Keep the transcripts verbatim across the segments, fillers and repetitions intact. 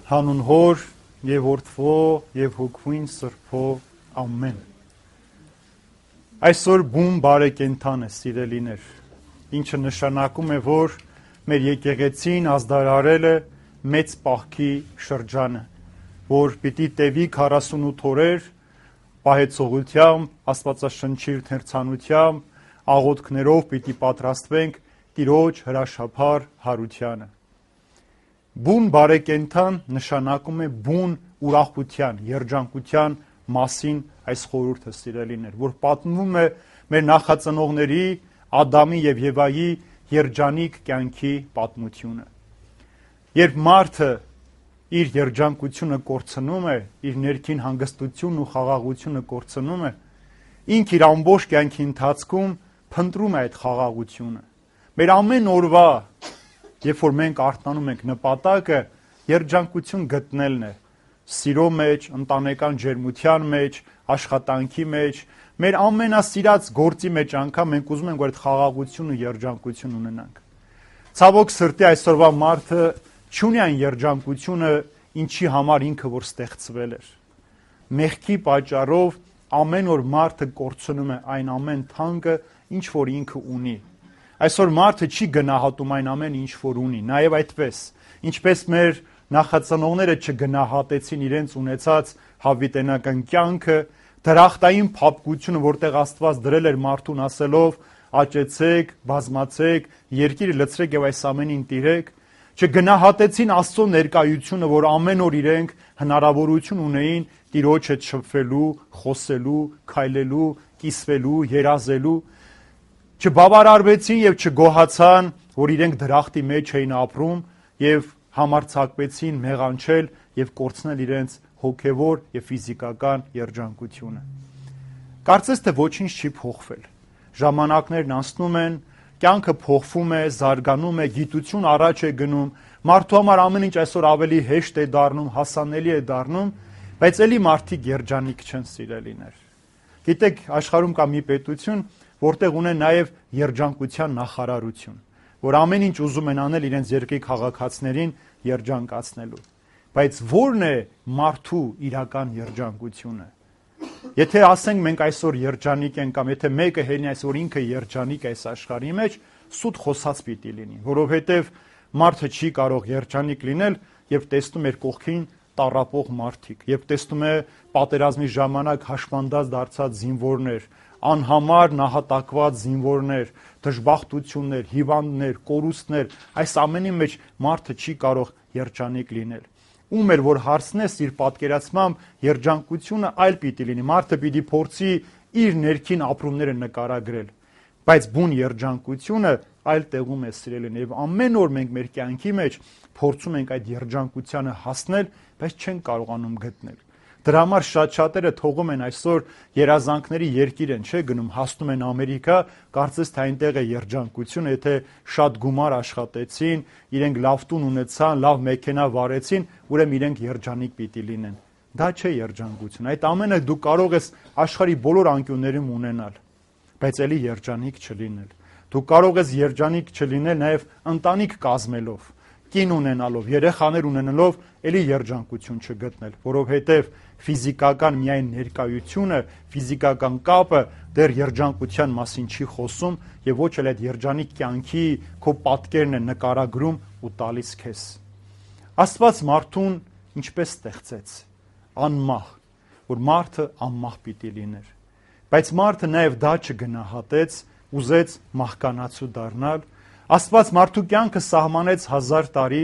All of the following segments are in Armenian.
Հանուն Հոր եւ Որդվո եւ Հոգուին Սրբո ամեն։ Այսօր բուն բարեկենդան է, սիրելիներ, ինչը նշանակում է, որ մեր եկեղեցին ազդարարել է մեծ պահքի շրջանը, որ պիտի տևի քառասունութ օրեր պահեցողությամբ, աստվածաշնչի թերցանությամբ, աղոթքներով պիտի պատրաստվենք Տիրոջ հրաշափառ հարությանը։ Բուն բարեկենդան նշանակում է բուն ուրախության, երջանկության մասին այս խորհուրդը, սիրելիներ, որ պատմվում է մեր նախածնողների Ադամի եւ Եվայի երջանիկ կյանքի պատմությունը։ Երբ մարդը իր երջանկությունը կորցնում է, իր ներքին հանգստությունն ու խաղաղությունը կորցնում է, ինքը իր ամբողջ կյանքի ընթացքում փնտրում է այդ խաղաղությունը։ Մեր ամեն օրվա, երբ որ մենք արթնանում ենք, նպատակը երջանկություն գտնելն է, սիրո մեջ, ընտանեկան ջերմության մեջ, աշխատանքի մեջ, մեր ամենասիրած գործի մեջ անգամ մենք ուզում ենք, որ այդ խաղաղություն ու երջանկություն ունենանք։ Ցավոք սրտի այսօրվա մարդը չունի այն երջանկությունը, ինչի համար ինքը որ ստեղծվել էր։ Մեղքի պատճառով ամեն օր մարդը կորցնում է այն ամեն թանկը, ինչ որ ինքը ունի։ Այսօր մարդը չի գնահատում այն ամեն ինչ որ ունի, նաև այդպես, ինչպես մեր նախածնողները չգնահատեցին իրենց ունեցած հավիտենական կյանքը, դրախտային փափկությունը, որտեղ Աստված դրել էր մարդուն ասելով. «Աճեցեք, բազմացեք, երկիրը լցրեք եւ այս ամենին տիրեք», չգնահատեցին Աստծո ներկայությունը, որ ամեն օր իրենք հնարավորություն ունեին Տիրոջ հետ շփվելու, խոսելու, քայլելու, կիսվելու, երազելու, չբավարարվեցին եւ չգոհացան, որ իրենք դրախտի մեջ էին ապրում եւ համարձակվեցին մեղանչել եւ կորցնել իրենց հոգեվոր եւ ֆիզիկական երջանկությունը։ Կարծես թե ոչինչ չի փոխվել։ Ժամանակներն անցնում են, կյանքը փոխվում է, զարգանում է, գիտություն առաջ է գնում, մարդու համար ամեն ինչ այսօր ավելի հեշտ է դառնում, հասանելի է դառնում, բայց ելի մարդիկ երջանիկ չեն, սիրելիներ։ Գիտեք, աշխարհում կա մի պետություն, որտեղ ունեն նաև երջանկության նախարարություն, որ ամեն ինչ ուզում են անել իրենց երկրի քաղաքացիներին երջանկացնելու։ Բայց ո՞րն է մարդու իրական երջանկությունը։ Եթե ասենք մենք այսօր երջանիկ ենք, կամ եթե մեկը հենի այսօր ինքը երջանիկ է այս աշխարհի մեջ, սուտ խոսած պիտի լինի, որովհետև մարդը չի կարող երջանիկ լինել, երբ տեսնում է կողքին տառապող մարդիկ, երբ տեսնում է պատերազմի ժամանակ հաշմանդած դարձած զինվորներ, անհամար նահատակված զինվորներ, դժբախտություններ, հիվանդներ, կորուստներ, այս ամենի մեջ մարդը չի կարող երջանիկ լինել։ Ում էր որ հարցնես իր պատկերացմամբ երջանկությունը այլ պիտի լինի, մարդը պիտի փորձի իր ներքին ապրումները նկարագրել, բայց բուն երջանկությունը այլ տեղում է, սիրելին, եւ ամեն օր մենք մեր կյանքի մեջ փորձում ենք այդ երջանկությանը հասնել, բայց չենք կարողանում գտնել։ Դրա համար շատ-շատերը թողում են այսօր երազանքների երկիր են, չէ, գնում, հասնում են Ամերիկա, կարծես թե այնտեղ է երջանկությունը, եթե շատ գումար աշխատեցին, իրենք լավ տուն ունեցան, լավ մեքենա վարեցին, ուրեմն իրենք երջանիկ պիտի լինեն։ Դա չէ երջանկություն։ Այդ ամենը դու կարող ես աշխարհի բոլոր անկյուններում ունենալ, բայց ելի երջանիկ չլինել։ Դու կարող ես երջանիկ չլինել նաև ընտանիք կազմելով, կին ունենալով, երեխաներ ունենալով, ելի երջանկություն չգտնել, որովհետև ֆիզիկական միայն ներկայությունը, ֆիզիկական կապը դեռ երջանկության մասին չի խոսում եւ ոչ էլ այդ երջանիկ կյանքի քո պատկերն է նկարագրում ու տալիս քեզ։ Աստված մարդուն ինչպես ստեղծեց, անմահ, որ մարդը անմահ պիտի լիներ, բայց մարդը նաեւ դա չգնահատեց, ուզեց մահկանացու դառնալ։ Աստված մարդու կյանքը սահմանեց հազար տարի,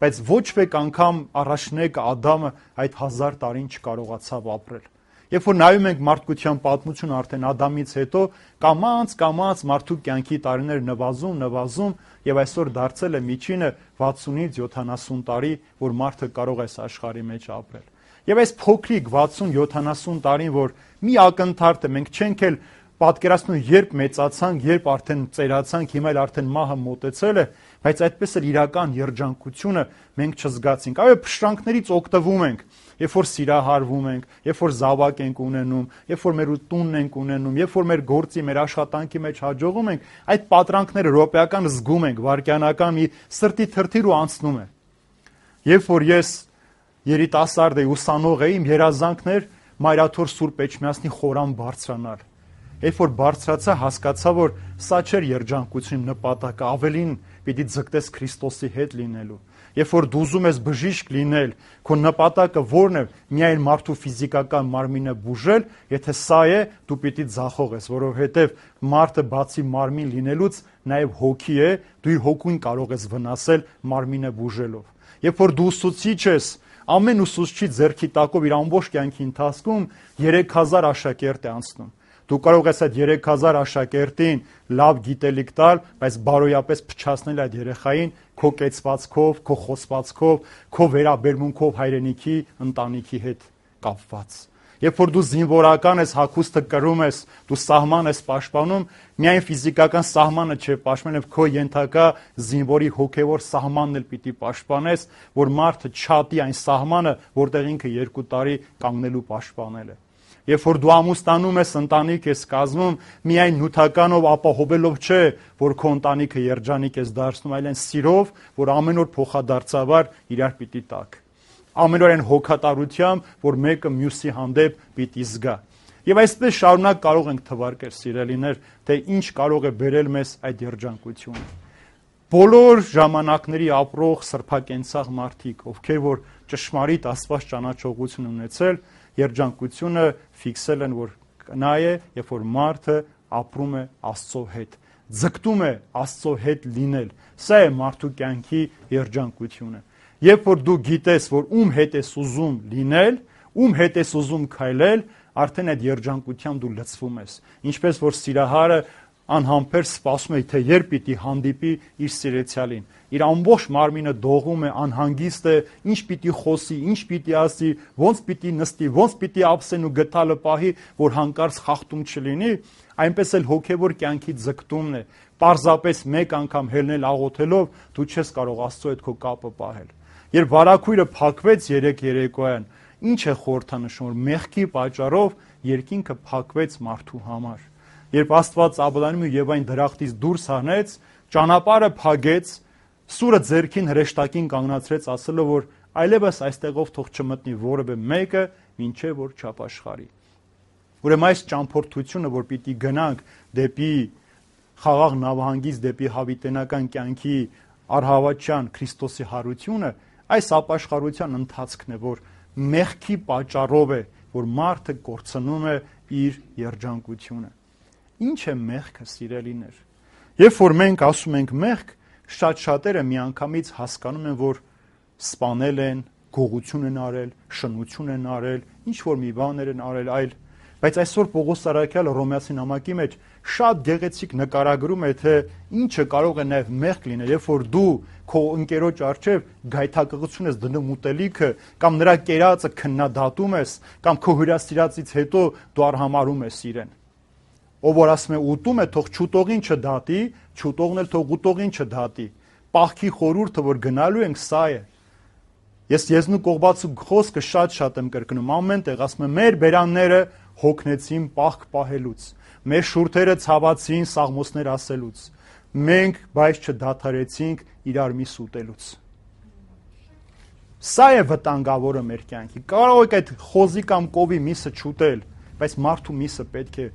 բայց ոչ մեկ անգամ առաջնեկը Ադամը այդ հազար տարին չկարողացավ ապրել։ Երբ որ նայում ենք մարդկության պատմությունը արդեն Ադամից հետո, կամաց-կամաց մարդու կյանքի տարիներ նվազում, նվազում եւ այսօր դարձել է միջինը վաթսունից յոթանասուն տարի, որ մարդը կարող է այս աշխարհի մեջ ապրել։ Եվ այս փոքրիկ վաթսուն յոթանասուն տարին, որ մի ակնթարթ է, մենք չենք էլ պատկերացնում, երբ մեծացանք, երբ արդեն ծերացանք, հիմա էլ արդեն մահը մոտեցել է, բայց այդպես էլ իրական երջանկությունը մենք չզգացինք։ Այո, փշրանքներից օգտվում ենք, երբ որ սիրահարվում ենք, երբ որ զավակ ենք ունենում, երբ որ մեր տունն ենք ունենում, երբ որ մեր գործի, մեր աշխատանքի մեջ հաջողում ենք, այդ պատրանքները ռոպեական զգում ենք, վայրկյանական մի սրտի թրթիր ու անցնում է։ Երբ որ ես երիտասարդ էի, ուսանող էի, իմ երազանքն էր Մայրաթոր Սուրբ Էջմիածնի խորան բարձրանալ։ Երբ որ բարձրացա, հասկացա, որ սա չէր երջանկություն նպատակը, ավելին պիտի ձգտես Քրիստոսի հետ լինելու։ Երբ որ դու ուզում ես բժիշկ լինել, քո նպատակը ո՞րն է, միայն մարդու ֆիզիկական մարմինը բուժել, եթե սա է, դու պիտի ձախողես, որովհետև մարդը բացի մարմին լինելուց նաև հոգի է, դու իր հոգուն կարող ես վնասել մարմինը բուժելով։ Երբ որ դու ուսուցիչ ես, ամեն ուսուցչի ձեռքի տակով իր ամբողջ կյանքի ընթացքում երեք հազար աշակերտ է անցնում։ Դու կարող ես այդ երեք հազար աշակերտին լավ գիտելիք տալ, բայց բարոյապես փչացնել այդ երեխային քո կեցվածքով, քո խոսվածքով, քո վերաբերմունքով հայրենիքի, ընտանիքի հետ կապված։ Երբ որ դու զինվորական ես, հագուստը կրում ես, դու սահման ես պաշտպանում, միայն ֆիզիկական սահմանը չէ պաշտպանել, քո ենթակա զինվորի հոգևոր սահմանն էլ պիտի պաշտպանես, որ մարդը չատի այն սահմանը, որտեղ ինքը երկու տարի կանգնելու պաշտպանել է։ Երբ որ դու ամուսնանում ես, ընտանիք ես կազմում, միայն նյութականով ապահովելով չէ, որ քո ընտանիքը երջանիկ ես դարձնում, այլ այն սիրով, որ ամեն օր փոխադարձաբար իրար պիտի տաք։ Ամեն օր այն հոգատարությամբ, որ մեկը մյուսի հանդեպ պիտի զգա։ Եվ այսպես շարունակ կարող ենք թվարկել, սիրելիներ, թե ինչ կարող է բերել մեզ այդ երջանկությունը։ Բոլոր ժամանակների ապրող սրբակենցաղ մարդիկ, ովքեր որ ճշմարիտ Աստված ճանաչողություն ունեցել, երջանկությունը ֆիքսել են, որ նա է, երբ որ մարդը ապրում է Աստծո հետ, ձգտում է Աստծո հետ լինել։ Սա է մարդու կյանքի երջանկությունը։ Երբ որ դու գիտես, որ ում հետ ես ուզում լինել, ում հետ ես ուզում քայլել, արդեն այդ երջանկությամբ դու լցվում ես։ Ինչպես որ սիրահարը անհամբեր սպասում է, թե երբ պիտի հանդիպի իր սիրեցյալին։ Իր ամբողջ մարմինը դողում է, անհանգիստ է, ինչ պիտի խոսի, ինչ պիտի ասի, ոնց պիտի նստի, ոնց պիտի ափսեն ու գդալը պահի, որ հանկարծ խախտում չլինի, այնպես էլ հոգևոր կյանքի ձգտումն է։ Պարզապես մեկ անգամ հելնել աղոթելով դու չես կարող Աստծո հետ քո կապը պահել։ Երբ վարագույրը փակվեց երեք երեկոյան, ինչ է խորհրդանշում, որ մեղքի պատճառով երկինքը փակվեց մարդու համար։ Երբ Աստված Աբրահամին ու Եվային դրախտից դուրս հանեց, ճանապարհը փակեց, սուրը ձեռքին հրեշտակին կանգնացրեց, ասելով, որ այլևս այստեղով թող չմտնի որևէ մեկը, մինչև որ չապաշխարի։ Ուրեմն այս ճամփորդությունը, որ պիտի գնանք դեպի խաղաղ նավահանգից, դեպի հավիտենական կյանքի առհավատյան Քրիստոսի հարությունը, այս ապաշխարության ընթացքն է, որ մեղքի պատճառով է, որ մարդը կորցնում է իր երջանկությունը։ Ինչ է մեղքը, սիրելիներ։ Երբ որ մենք ասում ենք մեղք, շատ շատերը միանգամից հասկանում են, որ սպանել են, գողություն են արել, շնություն են արել, ինչ որ մի բաներ են արել, այլ բայց այսօր Պողոս Արաքյալը Հռոմեացի նամակի մեջ շատ գեղեցիկ նկարագրում է, թե ինչը կարող է նաև մեղք լինել, երբ որ դու քո ընկերոջ առջև գայթակղություն ես դնում ուտելիքը, կամ նրա կերածը քննադատում ես, կամ քո հյուրասիրածից հետո դու արհամարհում ես իրեն։ Ով որ ասում է ուտում է, թող չուտողին չդատի, չուտողն էլ թող ուտողին չդատի։ Պահքի խորհուրդը, որ գնալու ենք, սա է։ Ես Եզնու Կողբացու խոսքը շատ-շատ եմ կրկնում, ամեն տեղ ասում եմ, մեր բերանները հոգնեցին պահք պահելուց, մեր շուրթերը ցավացին սաղմոսներ ասելուց, մենք բայց չդադարեցինք իրար միս ուտելուց։ Սա է վտանգավորը մեր կյանքի։ Կարող եք այդ խոզի կամ կովի միսը չուտել, բայց մարդու միսը պետք է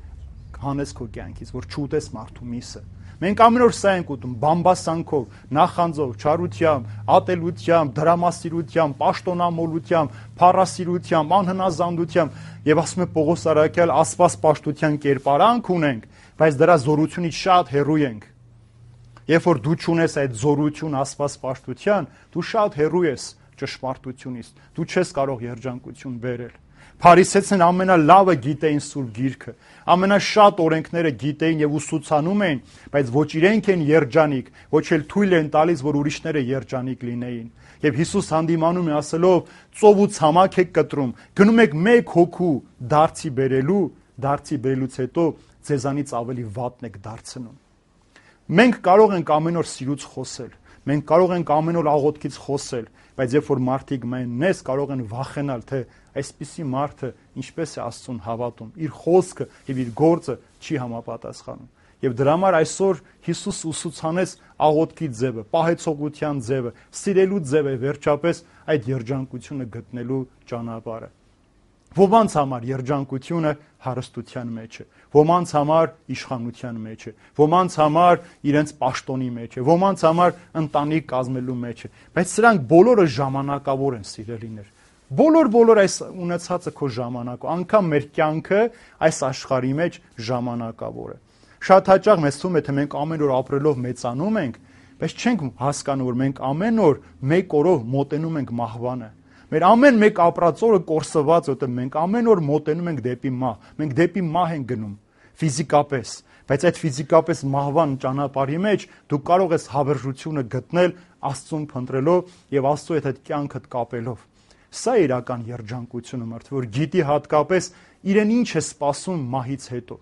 հանես քո կյանքից, որ չուտես մարդու միսը։ Մենք ամեն օր սա ենք ուտում, բամբասանքով, նախանձով, չարությամբ, ատելությամբ, դրամասիրությամբ, պաշտոնամոլությամբ, փառասիրությամբ, անհնազանդությամբ, եւ ասում է Պողոս Արաքյալ, աստվածպաշտության կերպարանք ունենք, բայց դրա զորությունից շատ հեռու ենք։ Երբ որ դու չունես այդ զորություն աստվածպաշտության, դու շատ հեռու ես ճշմարտությունից, դու չես կարող երջանկություն բերել։ Փարիսեցին ամենալավը գիտեին Սուրբ Գիրքը, ամենաշատ օրենքները գիտեին եւ ուսուցանում էին, բայց ոչ իրենք են երջանիկ, ոչ էլ թույլ են տալիս, որ ուրիշները երջանիկ լինեին։ Եվ Հիսուս հանդիմանում է ասելով. «Ծով ու ցամաք եք կտրում, գնում եք մեկ հոգու դարձի բերելու, դարձի բերելուց հետո ձեզանից ավելի վատն եք դարձնում»։ Մենք կարող ենք ամեն օր սիրուց խոսել, մենք կարող ենք ամեն օր աղոթքից խոսել, բայց երբ որ մարդիկ մեզ կարող են վախենալ, թե այսպիսի մարդը ինչպես է Աստծուն հավատում, իր խոսքը եւ իր գործը չի համապատասխանում։ Եվ դրա համար այսօր Հիսուս ուսուցանեց աղոթքի ձևը, պահեցողության ձևը, սիրելու ձևը, վերջապես այդ երջանկությունը գտնելու ճանապարհը։ Ոմանց համար երջանկությունը հարստության մեջ է, ոմանց համար իշխանության մեջ է, ոմանց համար իրենց պաշտոնի մեջ է, ոմանց համար ընտանիք կազմելու մեջ է, բայց սրանք բոլորը ժամանակավոր են, սիրելիներ։ Բոլոր-բոլոր այս ունեցածը քո ժամանակը, անգամ մեր կյանքը այս աշխարհի մեջ ժամանակավոր է։ Շատ հաճախ մեզ թվում է, թե մենք ամեն օր ապրելով մեծանում ենք, բայց չենք հասկանում, որ մենք ամեն օր մեկ օրով մոտենում ենք մահվանը։ Մեր ամեն մեկ ապրած օրը կորսված է, որտեղ մենք ամեն օր մոտենում ենք դեպի մահ, մենք դեպի մահ ենք գնում ֆիզիկապես, բայց այդ ֆիզիկապես մահվան ճանապարհի մեջ դու կարող ես հավերժությունը գտնել Աստծուն փնտրելով եւ Աստծո հետ այդ կյանքդ կապելով։ Սա է իրական երջանկությունը, մարդը, որ գիտի հատկապես իրեն ինչ է սպասում մահից հետո։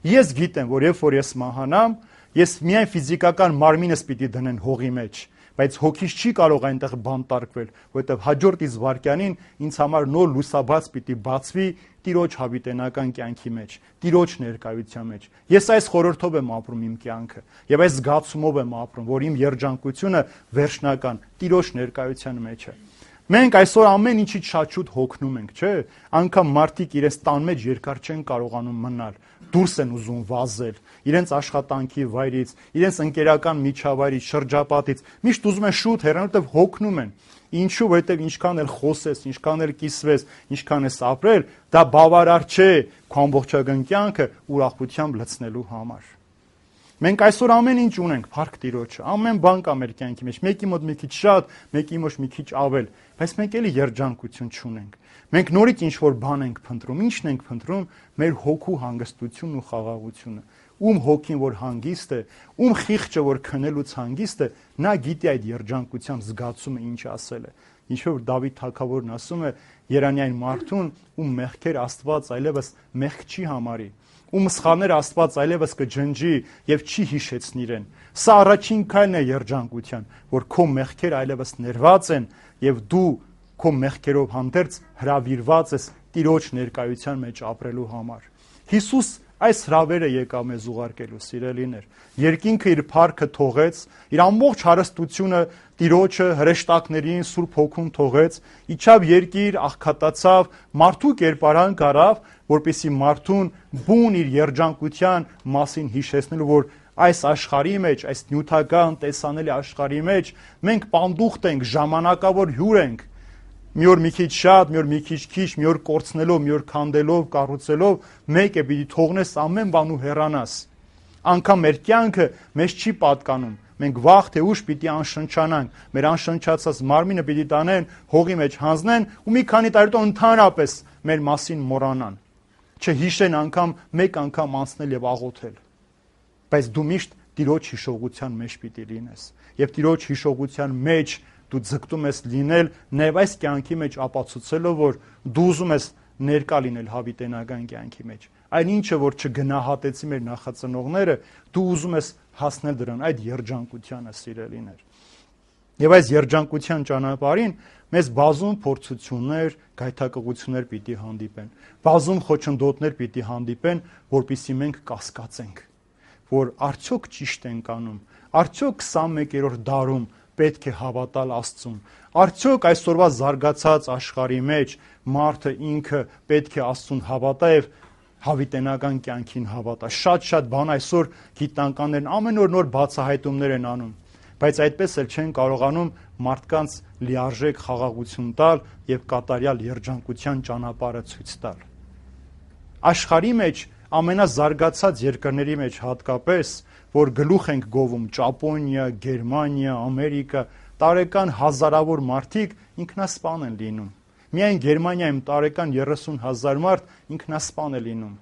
Ես գիտեմ, որ երբ որ ես մահանամ, ես միայն ֆիզիկական մարմինս պիտի դնեն հողի մեջ, բայց հոգիս չի կարող այնտեղ բանտարկվել, որովհետև հաջորդ իսկ վայրկյանին ինձ համար նոր լուսաբաց պիտի բացվի Տիրոջ հավիտենական կյանքի մեջ, Տիրոջ ներկայության մեջ։ Ես այս խորհրդով եմ ապրում իմ կյանքը եւ այս զգացումով եմ ապրում, որ իմ երջանկությունը վերջնական Տիրոջ ներկայության մեջ է։ Մենք այսօր ամեն ինչից շատ շուտ հոգնում ենք, չէ՞։ Անկամ մարդիկ իրենց տան մեջ երկար չեն կարողանում մնալ, դուրս են ուզում վազել, իրենց աշխատանքի վայրից, իրենց ընկերական միջավայրից, շրջապատից, միշտ ուզում են շուտ հեռանալ, որտեղ հոգնում են։ Ինչու՞, որովհետև ինչքան էլ խոսես, ինչքան էլ կիսվես, ինչքան ես ապրել, դա բավարար չէ քո ամբողջական կյանքը ուրախությամբ լցնելու համար։ Մենք այսօր ամեն ինչ ունենք, փառք Տիրոջը, ամեն բան կա մեր կյանքի մեջ, մեկի մոտ մի քիչ շատ, մեկի մոտ մի քիչ ավել, բայց մենք էլի երջանկություն չունենք։ Մենք նորից ինչ-որ բան ենք փնտրում, ի՞նչն ենք փնտրում, մեր հոգու հանգստությունն ու խաղաղությունը։ Ում հոգին որ հանգիստ է, ում խիղճը որ քնելուց հանգիստ է, նա գիտի այդ երջանկության զգացումը ինչ ասել է։ Ինչու որ Դավիթ թագավորն ասում է Երանային մարդուն, ում մեղքեր Աստված այլևս մեղք չի համարի, ում սխալներ Աստված այլևս կջնջի եւ չի հիշեցնի իրեն։ Սա առաջին քայլն է երջանկության, որ քո մեղքեր այլևս ներված են եւ դու քո մեղքերով հանդերձ հրավիրված ես Տիրոջ ներկայության մեջ ապրելու համար։ Հիսուս այս հրավերը եկավ մեզ ուղարկելու, սիրելիներ։ Երկինքը իր փառքը թողեց, իր ամբողջ հարստությունը Տիրոջը հրեշտակներին Սուրբ Հոգուն թողեց, իջավ երկիր, աղքատացավ, մարդու կերպարանք առավ, որպեսզի մարդուն բուն իր երջանկության մասին հիշեցնելու, որ այս աշխարհի մեջ, այս նյութական տեսանելի աշխարհի մեջ մենք պանդուխտ ենք, ժամանակավոր հյուր ենք։ Մի օր մի քիչ շատ, մի օր մի քիչ քիչ, մի օր կորցնելով, մի օր քանդելով, կառուցելով, մեկ է պիտի թողնես ամեն բան ու հեռանաս։ Անկամ մեր կյանքը մեզ չի պատկանում։ Մենք վաղ թե ուշ պիտի անշնչանանք, մեր անշնչացած մարմինը պիտի տանեն, հողի մեջ հանձնեն ու մի քանի տարի հետո ընդհանրապես մեր մասին մոռանան։ Չհիշեն անգամ մեկ անգամ անցնել եւ աղոթել։ Բայց դու միշտ Տիրոջ հիշողության մեջ պիտի լինես։ Եվ Տիրոջ հիշողության մեջ դու ձգտում ես լինել նաև այս կյանքի մեջ ապացուցելով, որ դու ուզում ես ներկա լինել հավիտենական կյանքի մեջ։ Այն ինչը, որ չգնահատեցի մեր նախածնողները, դու ուզում ես հասնել դրան, այդ երջանկությանը, սիրելիներ։ Եվ այս երջանկության ճանապարհին մեզ բազում փորձություններ, գայթակղություններ պիտի հանդիպեն, բազում խոչընդոտներ պիտի հանդիպեն, որpիսի մենք կասկածենք, որ արդյոք ճիշտ ենք անում, արդյոք քսանմեկերորդ դարում պետք է հավատալ Աստծուն։ Արդյոք այսօրվա զարգացած աշխարհի մեջ մարդը ինքը պետք է Աստծուն հավատա եւ հավիտենական կյանքին հավատա։ Շատ-շատ բան այսօր գիտնականներն ամեն օր նոր բացահայտումներ են անում, բայց այդպես էլ չեն կարողանում մարդկանց լիարժեք խաղաղություն տալ եւ կատարյալ երջանկության ճանապարհը ցույց տալ։ Աշխարհի մեջ ամենազարգացած երկրների մեջ հատկապես, որ գլուխ ենք գովում Ճապոնիա, Գերմանիա, Ամերիկա, տարեկան հազարավոր մարդիկ ինքնասպան են լինում։ Միայն Գերմանիայում տարեկան երեսուն հազար մարդ ինքնասպան է լինում։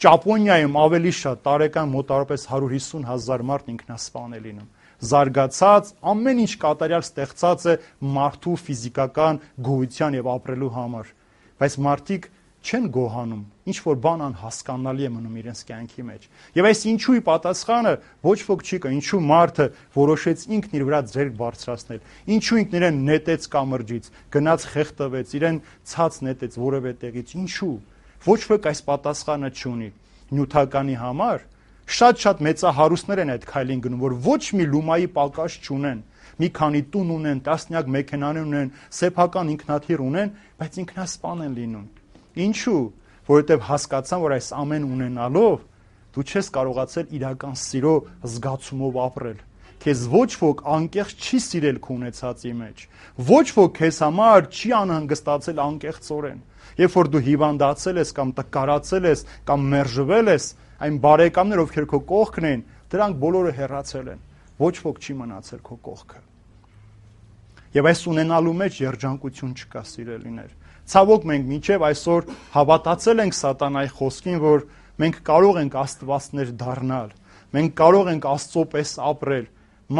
Ճապոնիայում ավելի շատ տարեկան մոտավորապես հարյուր հիսուն հազար մարդ ինքնասպան է լինում։ Զարգացած ամեն ինչ կատարյալ ստեղծած է մարդու ֆիզիկական գոյության եւ ապրելու համար, բայց մարդիկ չեն գոհանում, ինչ որ բան անհասկանալի է մնում իրենց կյանքի մեջ։ Եվ այս ինչուի պատասխանը ոչ ոք չի կա, ինչու մարդը որոշեց ինքն իր վրա ձեռք բարձրացնել, ինչու ինքն իրեն նետեց կամրջից, գնաց խեղդվեց, իրեն ցած նետեց որևէ տեղից, ինչու։ Ոչ ոք այս պատասխանը չունի։ Նյութականի համար Շատ-շատ մեծահարուստներ են այդ քայլին գնում, որ ոչ մի լումայի պակաս չունեն, մի քանի տուն ունեն, տասնյակ մեքենաներ ունեն, սեփական ինքնաթիռ ունեն, բայց ինքնասպան են լինում։ Ինչու՞, որովհետև հասկացան, որ այս ամեն ունենալով դու չես կարողացել իրական սիրո զգացումով ապրել։ Քեզ ոչ ոք անկեղծ չի սիրել քո ունեցածի մեջ։ Ոչ ոք քեզ համար չի անհանգստացել անկեղծորեն։ Երբ որ դու հիվանդացել ես կամ տկարացել ես կամ մերժվել ես, այն բարեկամներ, ովքեր քո կողքն են, դրանք բոլորը հեռացել են։ Ոչ ոք չի մնացել քո կողքը։ Եվ այս ունենալու մեջ երջանկություն չկա, սիրելիներ։ Ցավոք մենք մինչև այսօր հավատացել ենք սատանայի խոսքին, որ մենք կարող ենք աստվածներ դառնալ, մենք կարող ենք Աստծո պես ապրել։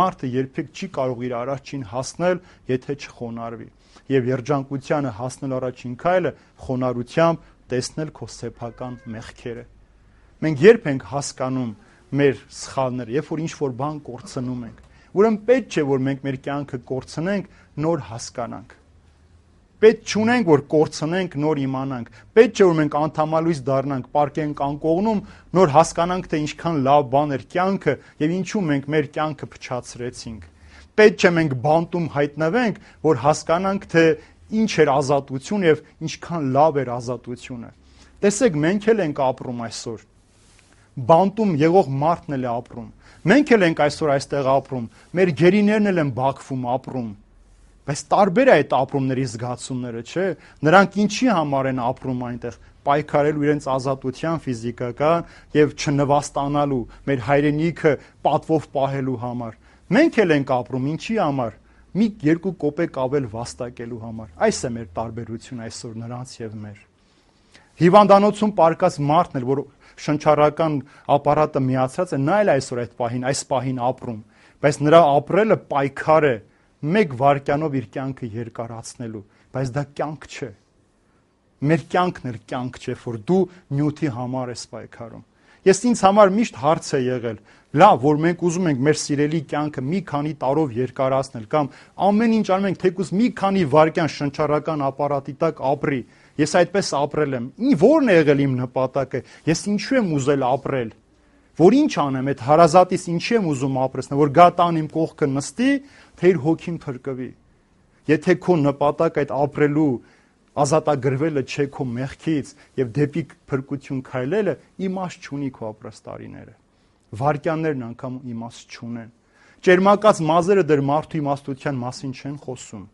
Մարդը երբեք չի կարող իր առաջին հասնել, եթե չխոնարհվի։ Եվ երջանկությանը հասնել առաջին քայլը խոնարհությամբ տեսնել քո սեփական մեղքերը։ Մենք երբ ենք հասկանում մեր սխալները, երբ որ ինչ-որ բան կորցնում ենք, ուրեմն պետք չէ, որ մենք մեր կյանքը կորցնենք, նոր հասկանանք։ Պետք չունենք, որ կորցնենք, նոր իմանանք։ Պետք չէ, որ մենք անդամալույս դառնանք, պարկենք անկողնում, նոր հասկանանք, թե ինչքան լավ բան էր կյանքը եւ ինչու մենք մեր կյանքը փչացրեցինք։ Պետք չէ մենք բանտում հայտնվենք, որ հասկանանք, թե ինչ էր ազատություն եւ ինչքան լավ էր ազատությունը։ Տեսեք, մենք էլ ենք ապրում այսօր։ Բանտում եղող մարդն էլ է ապրում։ Մենք էլ ենք այսօր այստեղ ապրում։ Մեր գերիներն էլ են Բաքվում ապրում։ Բայց տարբեր է այդ ապրումների զգացումները, չէ՞։ Նրանք ինչի համար են ապրում այնտեղ, պայքարելու իրենց ազատության ֆիզիկական եւ չնվաստանալու, մեր հայրենիքը պատվով պահելու համար։ Մենք էլ ենք ապրում ինչի համար։ Մի երկու կոպեկ ավել վաստակելու համար։ Այս է մեր տարբերությունը այսօր նրանց եւ մեր։ Հիվանդանոցում պարկած մարդն էլ, որ շնչառական ապարատը միացած է, նա էլ այսօր այդ պահին, այս պահին ապրում, բայց նրա ապրելը պայքար է մեկ վայրկյանով իր կյանքը երկարացնելու, բայց դա կյանք չէ։ Մեր կյանքն էլ կյանք չէ, որ դու նյութի համար ես պայքարում։ Ես ինձ համար միշտ հարց է եղել, լավ, որ մենք ուզում ենք մեր սիրելի կյանքը մի քանի տարով երկարացնել կամ ամեն ինչ անում ենք, թեկուզ մի քանի վայրկյան շնչառական ապարատի տակ ապրի։ Ես այդպես ապրել եմ։ Ո՞րն է եղել իմ նպատակը։ Ես ինչու եմ ուզել ապրել։ Որ ինչ անեմ, այդ հարազատիս ինչի եմ ուզում ապրեցնել, որ գա տան իմ կողքը նստի, թե իր հոգին փրկվի։ Եթե քո նպատակ այդ ապրելու ազատագրվելը չէ քո մեղքից եւ դեպի փրկություն քայլելը, իմաստ չունի քո ապրած տարիները։ Վարքյաններն անգամ իմաստ չունեն։ Ճերմակած մազերը դեռ մարդու իմաստության մասին չեն խոսում։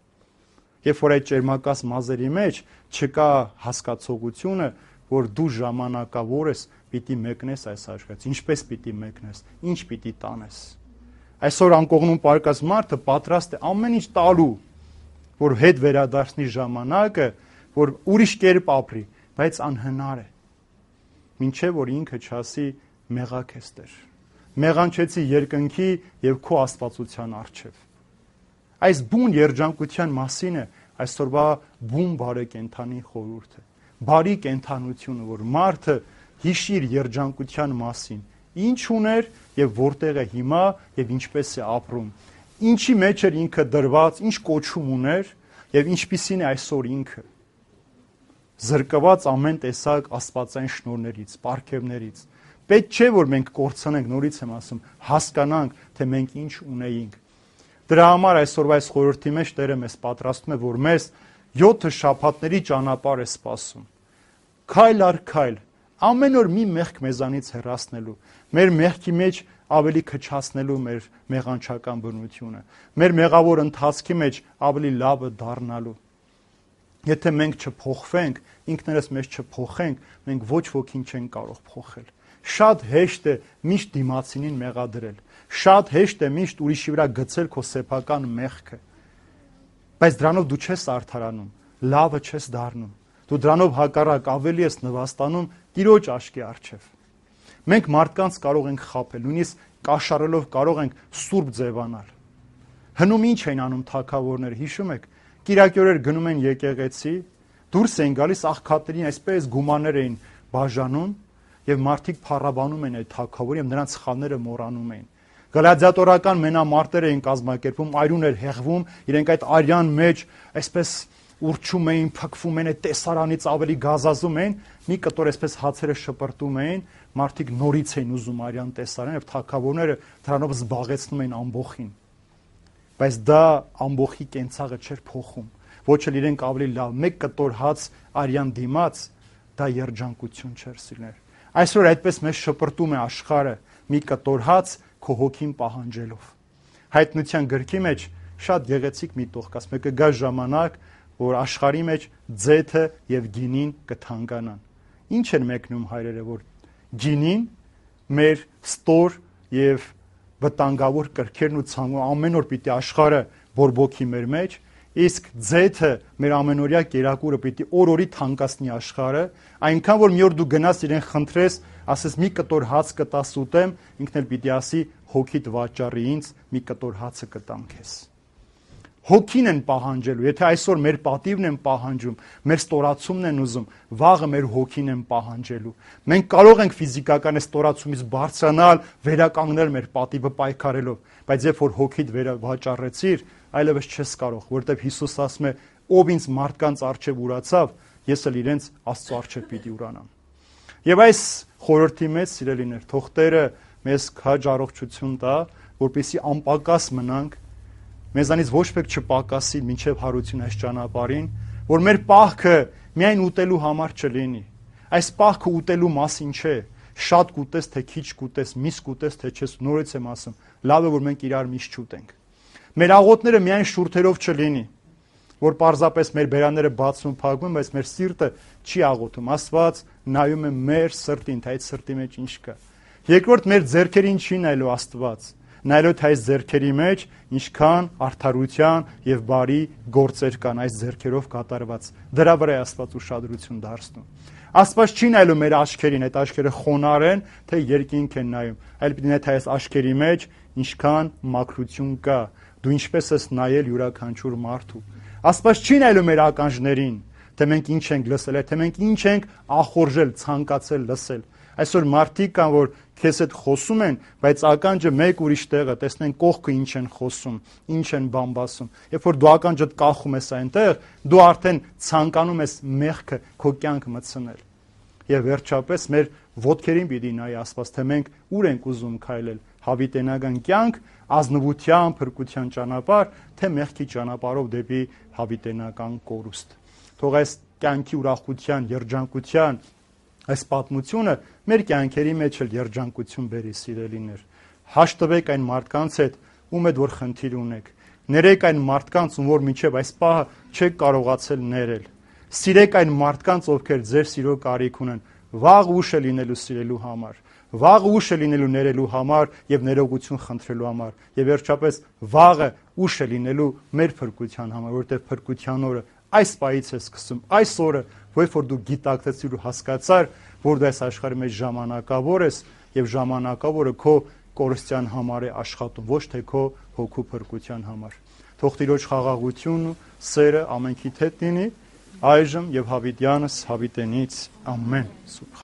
Երբ որ այդ ճերմակած մազերի մեջ չկա հասկացողությունը, որ դու ժամանակավոր ես, պիտի մեկնես այս աշխարհից, ինչպես պիտի մեկնես, ինչ պիտի տանես։ Այսօր անկողնում պարկած մարդը պատրաստ է ամեն ինչ տալու, որ հետ վերադարձնի ժամանակը, որ ուրիշ կերպ ապրի, բայց անհնար է։ Մինչև որ ինքը չասի մեղակ ես Տեր։ Մեղանչեցի երկնքի եւ քո աստվածության առջև։ Այս բուն երջանկության մասին է այսօրվա բուն բարեկենդանի խորհուրդը։ Բարի կենդանությունը, որ մարդը հիշի իր երջանկության մասին, ինչ ուներ եւ որտեղ է հիմա եւ ինչպես է ապրում, ինչի մեջ էր ինքը դրված, ինչ կոչում ուներ եւ ինչպիսին է այսօր ինքը։ Զրկված ամեն տեսակ աստվածային շնորհներից, պարգևներից։ Պետք չէ որ մենք կորցնենք, նորից եմ ասում, հասկանանք, թե մենք ինչ ունեինք։ Դրա համար այսօրվա այս խորհրդի մեջ Տերը մեզ պատրաստում է, որ մեզ յոթ շաբաթների ճանապարհ է սպասում։ Քայլ առ քայլ, ամեն օր մի մեղք մեզանից հեռացնելու, մեր մեղքի մեջ ավելի քչացնելու մեր մեղանչական բնությունը, մեր մեղավոր ընթացքի մեջ ավելի լավը դառնալու։ Եթե մենք չփոխվենք, ինքներս մեզ չփոխենք, մենք ոչ ոքին չենք կարող փոխել։ Շատ հեշտ է միշտ դիմացինին մեղադրել։ Շատ հեշտ է միշտ ուրիշի վրա գցել քո սեփական մեղքը։ Բայց դրանով դու չես արդարանում, լավը չես դառնում։ Դու դրանով հակառակ ավելի ես նվաստանում Տիրոջ աչքի առջև։ Մենք մարդկանց կարող ենք խաբել, նույնիսկ կաշառելով կարող ենք սուրբ ձևանալ։ Հնում ինչ են անում թագավորները, հիշում եք։ Կիրակի օրեր գնում են եկեղեցի, դուրս են գալիս աղքատներին այսպես գումաններ էին բաժանում եւ մարդիկ փառաբանում են այդ թագավորին եւ նրանց սխալները մոռանում էին։ Գլադիատորական մենամարտեր էին կազմակերպում, այրուն էր հեղվում, իրենք այդ արյան մեջ այսպես ուրչում էին, փքվում էին, այդ տեսարանից ավելի գազազում էին, մի կտոր այսպես հացերը շպրտում էին, մարդիկ նորից էին ուզում արյան տեսարան եւ թագավորները դրանով զբաղեցնում էին ամբողին։ Բայց դա ամբողի կենցաղը չէր փոխում։ Ոչ էլ իրենք ավելի լավ, մեկ կտոր հաց արյան դիմաց, դա երջանկություն չէր սիրներ։ Այսօր այդպես մեզ շպրտում է աշխարհը մի կտոր հաց քո հոգին պահանջելով։ Հայտնության գրքի մեջ շատ գեղեցիկ մի տող կա, ասում է կգա ժամանակ, որ աշխարհի մեջ ձեթը եւ գինին կթանկանան։ Ինչ են մեկնում հայրերը, որ գինին մեր ստոր եւ վտանգավոր կրքերն ու ցանկը ամեն օր պիտի աշխարհը բորբոքի մեր մեջ, իսկ ձեթը մեր ամենօրյա կերակուրը պիտի օր-օրի թանկացնի աշխարհը, այնքան որ մի օր դու գնաս իրեն խնդրես, ասես մի կտոր հաց կտաս ուտեմ, ինքն էլ պիտի ասի հոգիդ վաճառի ինձ, մի կտոր հացը կտամ քեզ։ Հոգին են պահանջելու, եթե այսօր մեր պատիվն են պահանջում, մեր ստորացումն են ուզում, վաղը մեր հոգին են պահանջելու։ Մենք կարող ենք ֆիզիկական ստորացումից բարձրանալ, վերականգնել մեր պատիվը պայքարելով, բայց երբ որ հոգիդ վաճառեցիր, այլևս չես կարող, որտեղ Հիսուս ասում է, ով ինձ մարդկանց առջև ուրացավ, ես էլ իրենց Աստծո առջև պիտի ուրանամ։ Եվ այս խորհրդի մեջ, սիրելիներ, թող Տերը մեզ քաջ առողջություն տա, որպեսզի անպակաս մնանք, մեզանից ոչ մեկ չպակասի մինչև հարություն այս ճանապարհին, որ մեր պահքը միայն ուտելու համար չլինի։ Այս պահքը ուտելու մասին չէ, շատ կուտես, թե քիչ կուտես, միս կուտես, թե չես, նորից եմ ասում, լավ է որ մենք իրար միշտ չուտենք։ Մեր աղոթները միայն շուրթերով չլինի, որ պարզապես մեր բերանները բացվում, փակվում, բայց մեր սիրտը չի աղոթում։ Աստված նայում է մեր սրտին, թե այդ սրտի մեջ ինչ կա։ Երկրորդ, մեր ձեռքերին չի նայելու Աստված, նայելով թե այս ձեռքերի մեջ ինչքան արդարության եւ բարի գործեր կան այս ձեռքերով կատարված։ Դրա վրա է Աստված ուշադրություն դարձնում։ Աստված չի նայելու մեր աչքերին, այդ աչքերը խոնար են, թե երկինք են նայում, այլ պիտի նայ թե այս աչքերի մեջ ինչքան մաքրություն կա, դու ինչպես ես նայել յուրաքանչյուր մարդու։ Աստված չի նայելու մեր ականջներին, թե մենք ինչ ենք լսել, թե մենք ինչ ենք ախորժել, ցանկացել լսել։ Այսօր մարդիկ կան, որ քեզ հետ խոսում են, բայց ականջը մեկ ուրիշ տեղ է, տեսնեն կողքը ինչ են խոսում, ինչ են բամբասում։ Երբ որ դու ականջդ կախում ես այնտեղ, դու արդեն ցանկանում ես մեղքը քո կյանք մտցնել։ Եվ վերջապես մեր ոտքերին պիտի նայ Աստված, թե մենք ուր ենք ուզում քայլել՝ հավիտենական կյանք, ազնվության, փրկության ճանապարհ, թե մեղքի ճանապարհով դեպի հավիտենական կորուստ։ Թող այս կյանքի ուրախության, երջանկության այս պատմությունը մեր կյանքերի մեջ էլ երջանկություն բերի, սիրելիներ։ Հաշտվեք այն մարդկանց հետ, ում հետ որ խնդիր ունեք։ Ներեք այն մարդկանց, ում որ մինչև այս պահը չեք կարողացել ներել։ Սիրեք այն մարդկանց, ովքեր ձեր սիրո կարիք ունեն։ Վաղ ուշ է լինելու սիրելու համար։ Վաղ ուշ է լինելու ներելու համար եւ ներողություն խնդրելու համար։ Եվ վերջապես վաղը ուշ է լինելու մեր փրկության համար, որովհետեւ փրկության օրը այս պահից է սկսում, այս օրը, որ որ դու գիտակցեցիր ու հասկացար, որ դու այս աշխարհի մեջ ժամանակավոր ես եւ ժամանակավորը քո կորստյան համար է աշխատում, ոչ թե քո հոգու փրկության համար։ Թող Տիրոջ խաղաղությունն ու սերը ամենքիդ հետ լինի, այժմ եւ հավիտյանս հավիտենից ամեն։